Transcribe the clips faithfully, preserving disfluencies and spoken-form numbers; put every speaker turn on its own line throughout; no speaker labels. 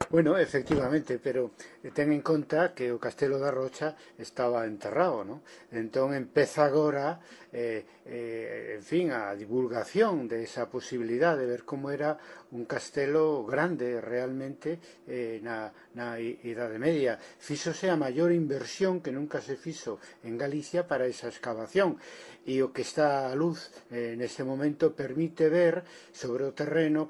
Bueno, efectivamente, pero ten en conta que o Castelo da Rocha estaba enterrado, non? Entón empeza agora, eh, eh, en fin, a divulgación de esa posibilidad de ver como era un castelo grande realmente eh, na, na Idade Media. Fíxose a maior inversión que nunca se fixo en Galicia para esa excavación, e o que está a luz eh, neste momento permite ver sobre o terreno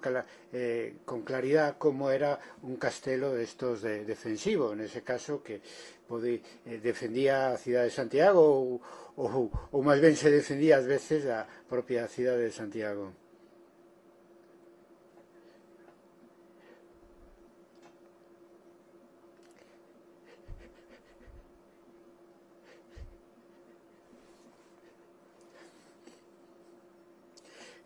eh, con claridad como era un castelo destos de defensivo, nese caso que pode, eh, defendía a cidade de Santiago ou, ou, ou máis ben se defendía ás veces a propia cidade de Santiago.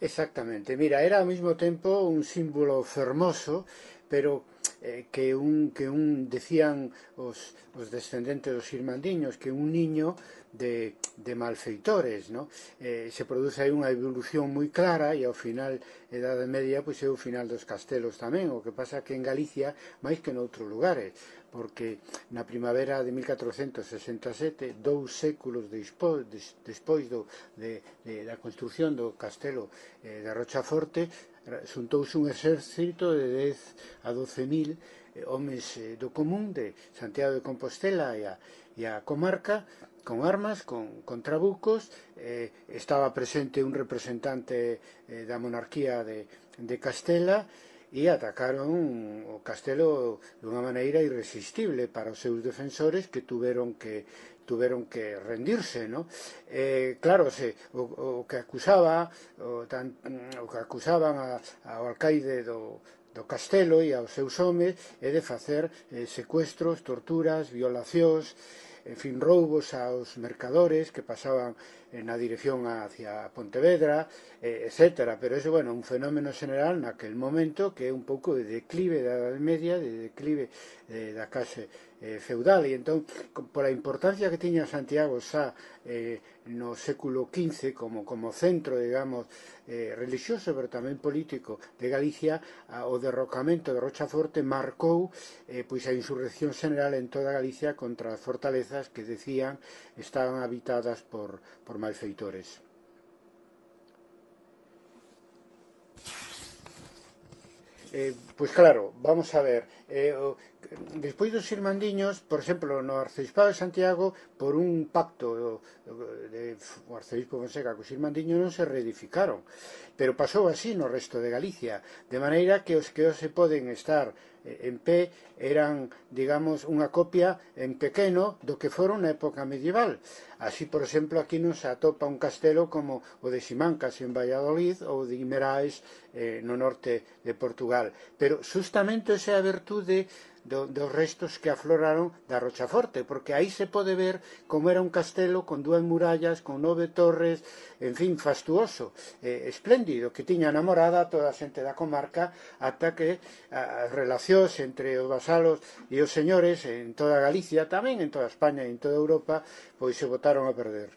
Exactamente, mira, era ao mesmo tempo un símbolo fermoso, pero eh, que un que un decían os, os descendentes dos irmandiños que un niño de, de malfeitores, ¿no? Eh, se produce aí unha evolución moi clara e ao final Edade Media pois é o final dos castelos tamén, o que pasa que en Galicia máis que noutros lugares, porque na primavera de mil catrocentos sesenta e sete, dous séculos despois, despois do, de, de, da construción do castelo eh, de Rochaforte, xuntouse un exército de dez a doce mil eh, homes eh, do común de Santiago de Compostela e a, e a comarca con armas, con, con trabucos, eh, estaba presente un representante eh, da monarquía de, de Castela e atacaron o castelo dunha maneira irresistible para os seus defensores que tuveron que tuveron que rendirse, ¿no? Eh, claro, se, o, o que acusaba o, tan, o que acusaban a, ao alcaide do, do castelo e aos seus homes é de facer eh, secuestros, torturas, violacións, en fin, roubos aos mercadores que pasaban na dirección hacia Pontevedra, eh, etcétera. Pero é, bueno, un fenómeno general naquel momento que é un pouco de declive da Edade Media, de declive eh, da clase eh, feudal. E entón, pola importancia que tiña Santiago xa eh, no século quince como, como centro, digamos, eh, religioso, pero tamén político de Galicia, a, o derrocamento de Rochaforte marcou eh, pois a insurrección general en toda Galicia contra as fortalezas que decían estaban habitadas por, por malfeitores. Eh, pois claro, vamos a ver, eh, o, despois dos irmandiños, por exemplo, no Arceispado de Santiago, por un pacto do, de, o arcebispo Fonseca cos irmandiños non se reedificaron, pero pasou así no resto de Galicia, de maneira que os que hoxe poden estar en pé eran, digamos, unha copia en pequeno do que foron na época medieval. Así, por exemplo, aquí non se atopa un castelo como o de Simancas en Valladolid ou de Guimeraes eh, no norte de Portugal. Pero justamente esa é a virtude do, dos restos que afloraron da Rochaforte, porque aí se pode ver como era un castelo con dúas murallas, con nove torres, en fin, fastuoso, eh, espléndido, que tiña namorada toda a xente da comarca ata que as relacións entre os vasalos e os señores en toda Galicia, tamén en toda España e en toda Europa, pois se botaron a perder.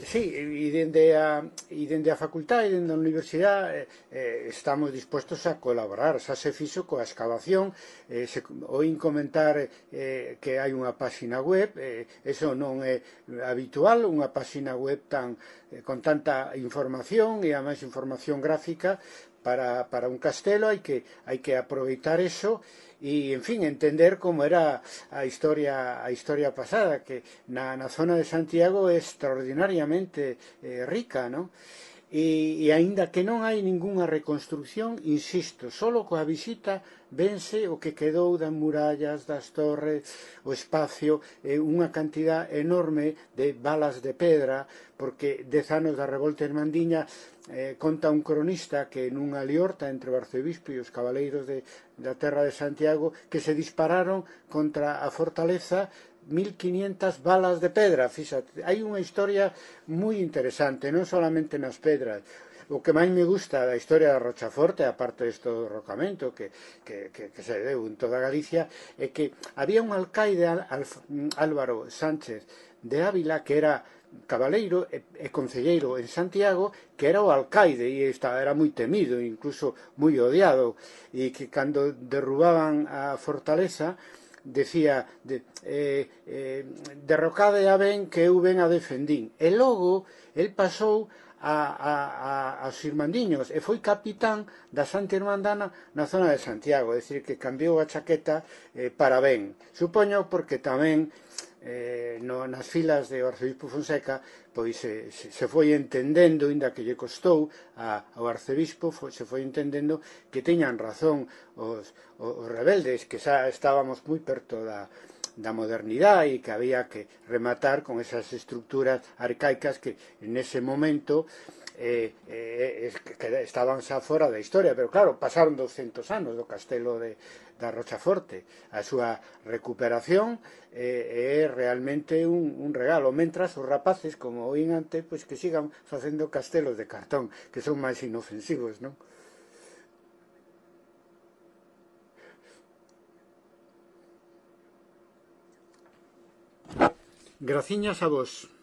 Sí, e dende a, e dende a facultade e dende a universidade eh, estamos dispostos a colaborar. Xa se fixo coa excavación, eh, se, oín comentar eh, que hai unha páxina web, eh, eso non é habitual, unha páxina web tan, eh, con tanta información e a máis información gráfica para, para un castelo, hai que, hai que aproveitar eso e, en fin, entender como era a historia a historia pasada, que na, na zona de Santiago é extraordinariamente eh, rica, non? E, e aínda que non hai ningunha reconstrucción, insisto, solo coa visita vense o que quedou das murallas, das torres, o espacio, eh, unha cantidad enorme de balas de pedra, porque dez anos da revolta irmandiña eh, conta un cronista que nunha liorta entre o arcebispo e os cabaleiros de, da terra de Santiago que se dispararon contra a fortaleza mil quinientas balas de pedra. Fíxate, hai unha historia moi interesante, non solamente nas pedras. O que máis me gusta da historia da Rochaforte, aparte deste derrocamento que, que, que, que se deu en toda Galicia, é que había un alcaide, Álvaro Sánchez de Ávila, que era cabaleiro e, e concelleiro en Santiago, que era o alcaide e esta, era moi temido, incluso moi odiado, e que cando derrubaban a fortaleza decía de, eh, eh, derrocade a ben que eu ben a defendín, e logo el pasou a, a, a, aos irmandiños e foi capitán da Santa Irmandana na zona de Santiago, é dicir, que cambiou a chaqueta eh, para ben, supoño porque tamén eh, no, nas filas de arcebispo Fonseca pois se, se, se foi entendendo, inda que lle costou a, ao arcebispo, foi, se foi entendendo que teñan razón os, os rebeldes, que xa estábamos moi perto da, da modernidade e que había que rematar con esas estructuras arcaicas que en ese momento eh, eh, que estaban xa fora da historia, pero claro, pasaron douscentos anos do castelo de, da Rochaforte. A súa recuperación eh, é realmente un, un regalo, mentras os rapaces, como oín antes, pois que sigan facendo castelos de cartón, que son máis inofensivos, non? Graciñas a vos.